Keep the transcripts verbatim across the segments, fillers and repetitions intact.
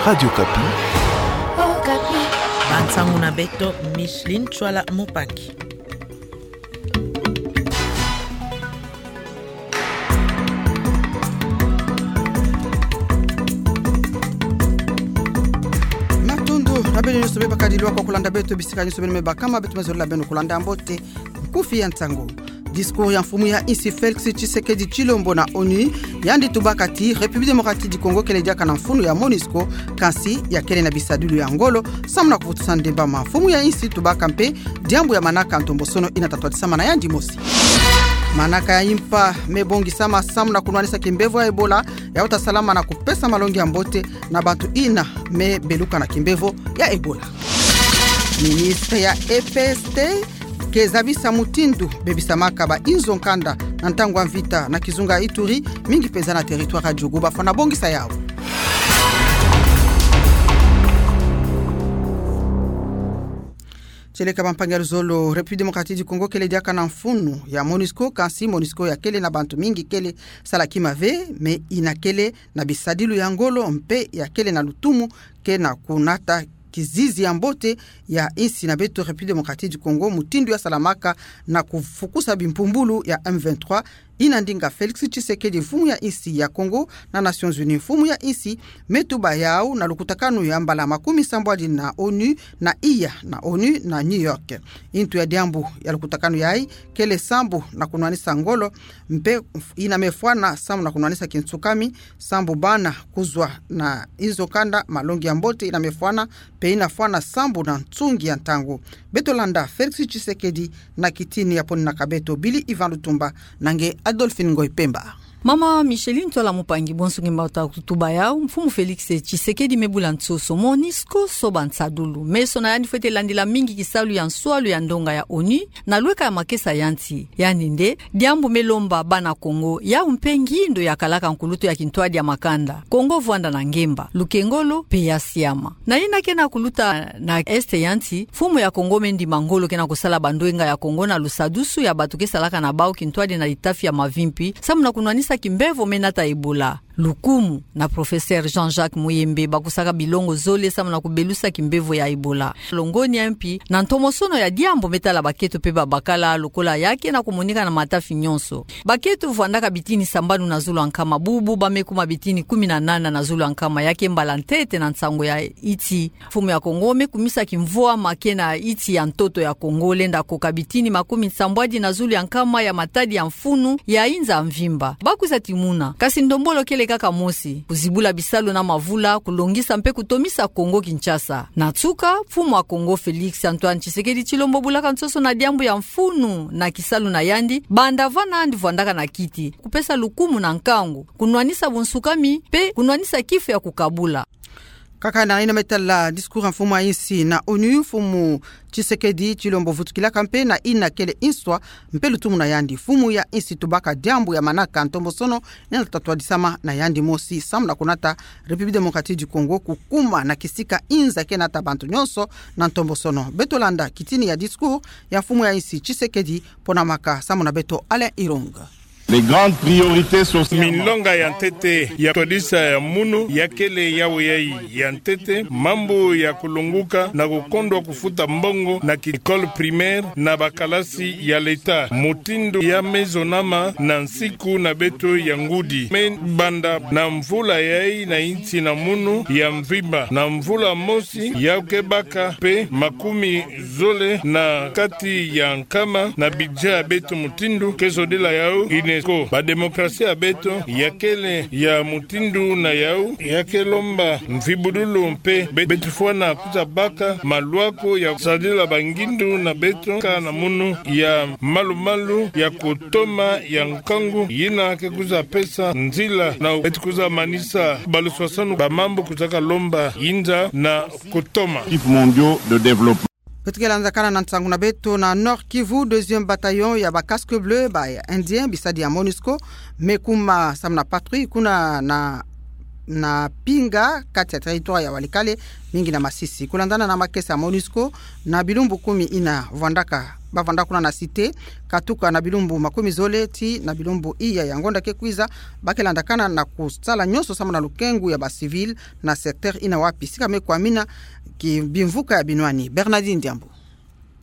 Radio Okapi. Okapi. Bansangu na beto, Micheline Tswala Mupangi. Matondo na beno nyonso me bakadi lwa kwa kulanda beto bisika nyonso beno me bakama, beto me zolila beno kulanda mbote. Nkufi ya nsangu. Discours ya mfumu ya insi Félix Tshisekedi Tshilombo na ONU, yandi tubaka ti République Démocratique du Congo kele diaka na mfunu ya MONUSCO, kansi ya kele na bisadilu ya ngolo samu na kuvutusa ndemba ma mfumu ya insi. Tubaka mpe diambu ya manaka ntombosono ina tatwadisama na yandi mosi. Manaka ya impa me bongisama samu na kunwanisa kimbevo ya Ebola, yawu ta salama na kupesa malongi ya mbote na bantu ina me beluka na kimbevo ya Ebola. Ministre ya E P S T ke zabisa mutindu bebisamaka ba inzo nkanda na ntangu ya mvita na kizunga Ituri, mingi mpenza na territoire ya Djugu bafwana bongisa yawu. Tieleka bampangi ya luzolo, République Démocratique du Congo kele diaka na mfunu ya MONUSCO, kansi MONUSCO ya kele na bantu mingi kele sala kima ve, me ina kele na bisadilu ya ngolo mpe ya kele na lutumu ke na kunata kizizi ya mbote ya insi na beto République Démocratique du Congo, mutindu ya salamaka na kufukusa bimpumbulu ya M vingt-trois, ina ndinga Félix Tshisekedi, mfumu ya insi ya Congo, na Nations Unies, mfumu ya insi, me tuba yawu na lukutakanu ya mbala makumi sambwadi na ONU na iya na ONU na New York. Intu ya diambu ya lukutakanu yayi kele sambu na kunwanisa ngolo, mpe ina me fwana sambu na kunwanisa kinsukami, sambu bana kuzwa na inzo nkanda, malongi ya mbote ina me fwana, mpe ina fwana sambu na nsungi ya ntangu. Beto landa Félix Tshisekedi na kitini ya poninaka beto Billy Ivan Lutumba na nge Adolphine Ngoy Pemba. Mama Micheline Tswala Mupangi, bonso nge mata kutuba yawu, mfumu Félix Tshisekedi me bula nsoso, MONUSCO soba nsadulu. Meso na yandi fwete landila mingi kisalu ya nswalu ya ndonga ya ONU na lweka ya makesa ya nsi. Yandi nde diambu me lomba bana Kongo, yawu mpe ngindo ya kalaka nkulutu ya kintwadi ya makanda. Kongo vwanda na ngemba, lukengolo mpe ya siama. Na ina ke na kuluta na Est ya nsi, mfumu ya Kongo me ndima ngolo ke na kusala bandwenga ya Kongo na lusadusu ya bato ke salaka na bawu kintwadi na litafi ya mavimpi, samu na kunwanisa kimbevo me nata Ebola. Lukumu na Professeur Jean-Jacques Muyembe, bakusaka bilongo zole samu na kubelusa kimbevo ya Ebola. Longonya mpi na ntomosono ya diambu me tala baketo mpe babakala, lokola ya ke na kumonika na matafi nyonso. Baketo vwandaka bitini sambanu na zulu ya nkama, bubu ba me kuma bitini kumi na nana na zulu ya nkama, ya ke mbala ntete na nsangu ya iti. Mfumu ya Kongo me kumisa kimvwama ke na iti ya ntoto ya Kongo, lenda koka bitini makumi sambwadi na zulu ya nkama ya matadi ya mfunu ya inza mvimba. Ba kwiza timuna. Kasi ndombolo kele kaka mosi: kuzibula bisalu na mavula, kulongisa mpe kutomisa Kongo Kinshasa. Na nsuka, mfumu ya Kongo Félix Antoine Tshisekedi Tshilombo bulaka nsoso na diambu ya mfunu na kisalu na yandi, banda vana yandi vwandaka na kiti. Kupesa lukumu na nkangu, kunwanisa bunsukami, mpe kunwanisa kifu ya kukabula. Kaka na ina me tala discours ya mfumu ya insi na ONU, mfumu Tshisekedi Tshilombo vutukilaka mpe na ina kele inswa mpe lutumu na yandi. Mfumu ya insi tubaka diambu ya manaka ntombosono ina tatwadisama na yandi mosi, samu na kunata République Démocratique du Congo kukuma na kisika inza ke nata bantu nyonso na ntombosono. Beto landa kitini ya discours ya mfumu ya insi Tshisekedi, ponamaka samu na beto Alain Irung. Les grandes priorités sociales. Minlonga ya ntete ya twadisa ya munu ya kele yawu yayi. Ya ntete, mambu ya kulonguka na kukondwa kufuta mbongo na ki école primaire na bakalasi ya l'État, mutindu ya me zonama na nsiku na beto ya ngudi. Me banda na mvula yayi na insi na munu ya mvimba, na mvula mosi ya ke baka mpe makumi zole na kati ya nkama na budget ya beto mutindu ke zodila yawu UNESCO. Ba démocratie ya beto ya kele ya mutindu na yawu ya ke lomba mvibudulu mpe be-, beto fwana kwiza baka malwaku ya sadila bangindu na beto ka na munu ya malu-malu ya kutoma ya nkangu yina ke kwiza pesa nzila na beto kwiza manisa baluswaswanu ba mambu kwizaka lomba inza na kutoma. Objectifs mondiaux de développement. Beto ke lanzakana na nsangu na beto na Nord-Kivu, deuxième bataillon ya ba Casques Bleus, ba Indiens, bisadi ya MONUSCO, me kuma samu na patrouille kuna na na Pinga, kati ya territoire ya Walikale, mingi na Masisi. Kulandana na makesa ya MONUSCO, na bilumbu kumi ina vwandaka, bavwandaka kuna na Cité, katuka na bilumbu makumi zole tii na bilumbu iya ya ngonda ke kwiza, ba ke landakana na kusala nyonso samu na lukengu ya ba civil na secteur ina wapi sika me kwamina ki bimvuka ya binwani. Bernardine Diambu.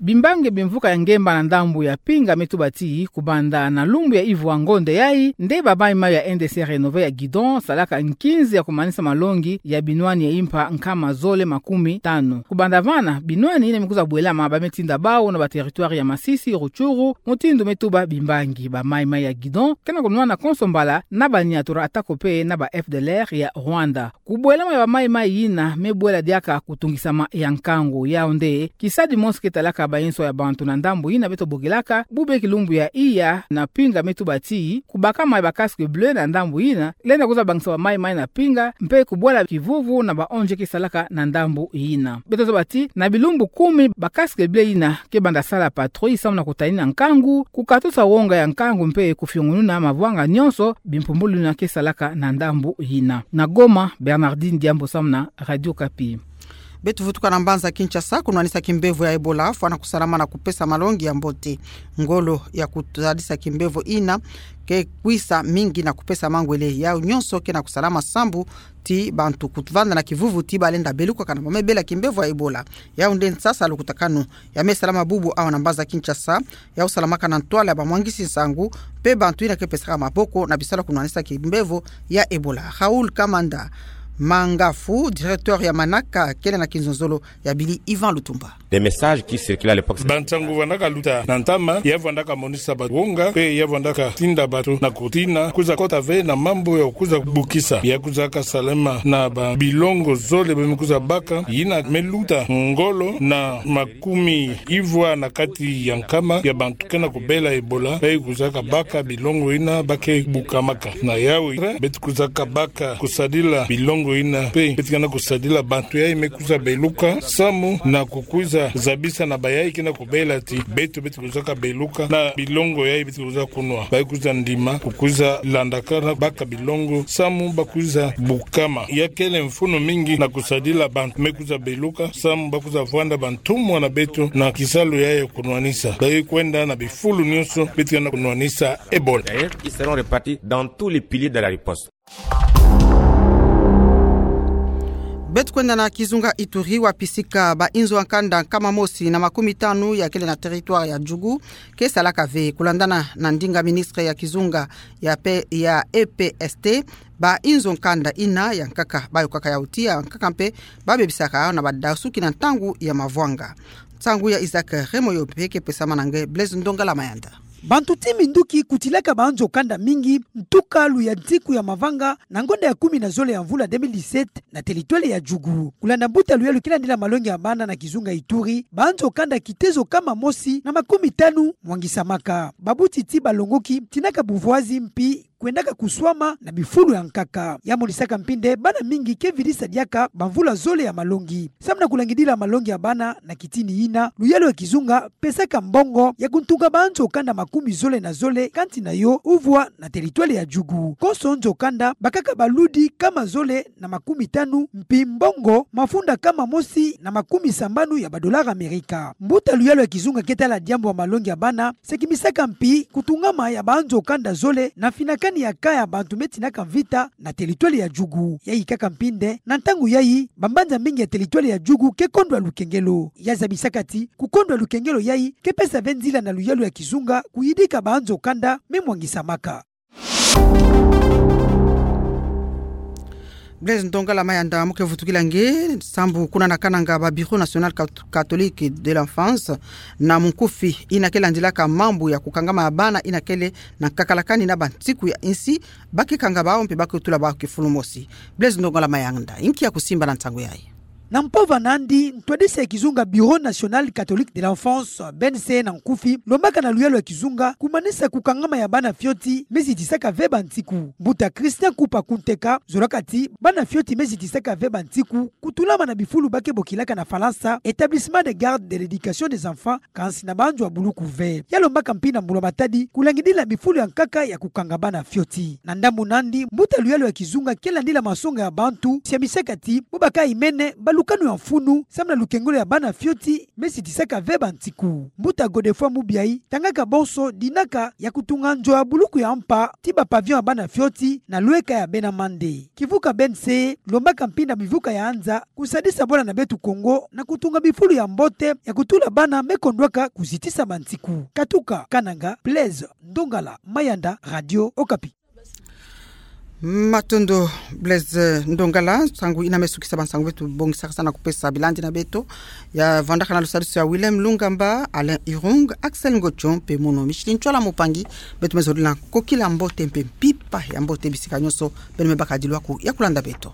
Bimbangi bimvuka ya ngemba na ndambu ya Pinga me tuba tii, kubanda na lumbu ya ivwa ngonda yayi, nde ba maimai ya N D C Renové ya Guidon salaka nkinzi ya kumanisa malongi ya binwani ya impa nkama zole makumi tanu. Kubanda vana, binwani ina me kwiza bwelama ba me tinda bau na ba territoire ya Masisi, Rutshuru, mutindu me tuba bimbangi. Ba maimai ya Guidon ke na kunwana konso mbala na ba niatura, atako pe na ba F D L R ya Rwanda. Kubwelama ya ba maimai ina me bwela diaka kutungisama ya nkangu. Yau nde kisadi mosi ke talaka ba inso ya bantu na ndambu ina beto bokelaka, bubeki lumbu ya iya na Pinga me tuba tii, kubakama ya ba casque bleu na ndambu ina, lenda kwiza bangisa ba maimai na Pinga, mpe kubwela kivuvu na ba O N G ke salaka na ndambu ina. Beto zaba tii, na bilumbu kumi ba casque bleu ina ke banda sala patrouille samu na kutanina nkangu, kukatusa wonga ya nkangu mpe kufiongununa mavwanga nyonso bimpumbulu ina ke salaka na ndambu ina. Na Goma, Bernardine Diambu samu na Radio Okapi. Beto vutuka na mbanza Kinshasa, kunwanisa kimbevo ya Ebola, fwana kusalama na kupesa malongi ya mbote. Ngolo ya kusadisa kimbevo ina ke kwisa mingi na kupesa mangwele. Yau nyonso ke na kusalama sambu ti bantu kuvanda na kivuvu ti ba lenda belukaka na ba me bela kimbevo ya Ebola. Yau nde nsasa lukutakanu ya me salama bubu awa na mbanza Kinshasa, yau salamaka na ntwala ya ba mwangisi nsangu, mpe bantu ina ke pesaka maboko na bisalu ya kunwanisa kimbevo ya Ebola. Raoul Kamanda Mangafu, directeur ya manaka, kele na kinzonzolo ya Billy Ivan Lutumba. Des messages qui circulaient à l'époque. Bansangu vandaka luta na ntama, ya vandaka monisa ba wonga, mpe ya vandaka tinda bato na kutina, kwiza kota ve na mambu ya kwiza bukisa. Ya kwizaka salama na ba bilongo zole ba me kwiza baka, ina me luta ngolo na makumi ivwa na kati ya nkama ya bantu ke na kubela Ebola, ba kwizaka baka bilongo ina ba ke bukamaka. Na yawu, beto kwizaka baka kusadila bilongo ina, mpe beto ke na kusadila bantu yayi me kwiza beluka, samu na kukwiza zabisa na bayayi ke na kubela ti beto, beto kwizaka beluka na bilongo yayi beto kwiza kunwa. Ba kwiza ndima kukwiza landaka na baka bilongo, samu ba kwiza bukama. Ya kele mfunu mingi na kusadila bantu me kwiza beluka, samu ba kwiza vwanda bantumwa na beto na kisalu yayi ya kunwanisa. Ba kwenda na bifulu nyonso beto ke na kunwanisa Ebola. D'ailleurs, ils seront répartis dans tous les piliers de la riposte. Beto kwenda na kizunga Ituri, wapi sika ba inzo ya nkanda nkama mosi na makumi tanu ya kele na territoire ya Djugu ke salaka ve. Kulandana na ndinga ministre ya kizunga ya pe-, ya E P S T, ba inzo nkanda ina ya nkaka, ba yokaka yau ti ya nkaka mpe ba bebisaka na ba dasuki na ntangu ya mavwanga. Nsangu ya Isaac Remoyo mpe ke pesama na nge Blaise Ndongala Mayanda. Bantu ti minduki kutilaka ba nzo kanda mingi, ntuka luyantiku ya mavanga, na ngonda ya kumi na zole ya mvula deux mille dix-sept, na teritwele ya Djugu. Kulanda mbuta luyalu ke landila malongi ya bana na kizunga Ituri, ba nzo kanda kitezo kama mosi na makumi tanu mwangisamaka. Babuti ti balongoki, tinaka buvwazi mpi kwendaka kuswama na bifulu ya nkaka. Ya monisaka mpi nde bana mingi ke vidisa diaka bamvula zole ya malongi. Samu na kulangidila malongi ya bana na kitini ina, luyalu ya kizunga pesaka mbongo ya kuntunga ba nzo kanda makumi zole na zole, kansi na yo uvwa na teritwele ya Djugu. Konso nzo kanda bakaka baludi kama zole na makumi tanu, mpi mbongo mafunda kama mosi na makumi sambanu ya badolara Amerika. Mbuta luyalu ya kizunga ke tala diambu ya malongi ya bana, sekimisaka mpi kutungama ya ba nzo kanda zole na finakani ya ka ya bantu me tinaka mvita na teritwele ya Djugu. Yayi kaka mpi nde, na ntangu yayi, bambanza mingi ya teritwele ya Djugu ke kondwa lukengelo. Ya zabisaka ti, kukondwa lukengelo yayi ke pesa ve nzila na luyalu ya kizunga kuyidika ba nzo kanda me mwangisamaka. Blaise Ndongala Mayanda, mu ke vutukila nge, sambu kuna na Kananga ba Bureau National Cat-, Catholique de l'Enfance, na munkufi ina ke landilaka mambu ya kukangama ya bana ina kele na nkakalakani na bansiku ya insi, ba ke kanga bau mpe ba ke tula bau kifulu mosi. Blaise Ndongala Mayanda, inki ya kusimba na nsangu yayi? Na mpova nandi, ntwadisi ya kizunga Bureau National Catholique de l'Enfance, B N C na nkufi, lombaka na luyalu ya kizunga kumanisa kukangama ya bana fioti me zitisaka ve bantiku. Mbuta Christian Kupa Kunteka zolaka ti bana fioti me zitisaka ve bantiku kutulama na bifulu ba ke bokilaka na Falansa établissement de garde de l'éducation des enfants, kansi na banzo ya buluku ve. Ya lombaka mpimpa mbula matadi kulangidila bifulu ya nkaka ya kukanga bana fioti. Na ndambu nandi, mbuta luyalu ya kizunga ke landila masonga ya bantu, siamisaka ti bo baka imene balukanu ya mfunu samu na lukengolo ya bana fioti me zitisaka ve bantiku. Mbuta Godefroid Mubiayi tangaka bonso dinaka ya kutunga nzo ya buluku ya mpa ti ba pavillon ya bana fioti na lweka ya bena mande. Kivuka B N C lombaka mpimpa mivuka ya nza kusadisa bwala na beto Kongo na kutunga bifulu ya mbote ya kutula bana me kondwaka kuzitisa bantiku. Katuka Kananga, Blaise Ndongala, Mayanda, Radio Okapi. Matondo Blaise Ndongala. Nsangu ina me sukisa bansangu beto bongisaka sa na kupesa bilandi na beto. Ya vandaka na lusadisu ya Willem Lungamba, Alain Irung, Axel Ngocho mpe mono Micheline Tchwala Mopangi. Beto me zolila kokila mbote mpe mpimpa ya mbote bisika nyonso beno me baka dilwaku ya kulanda beto.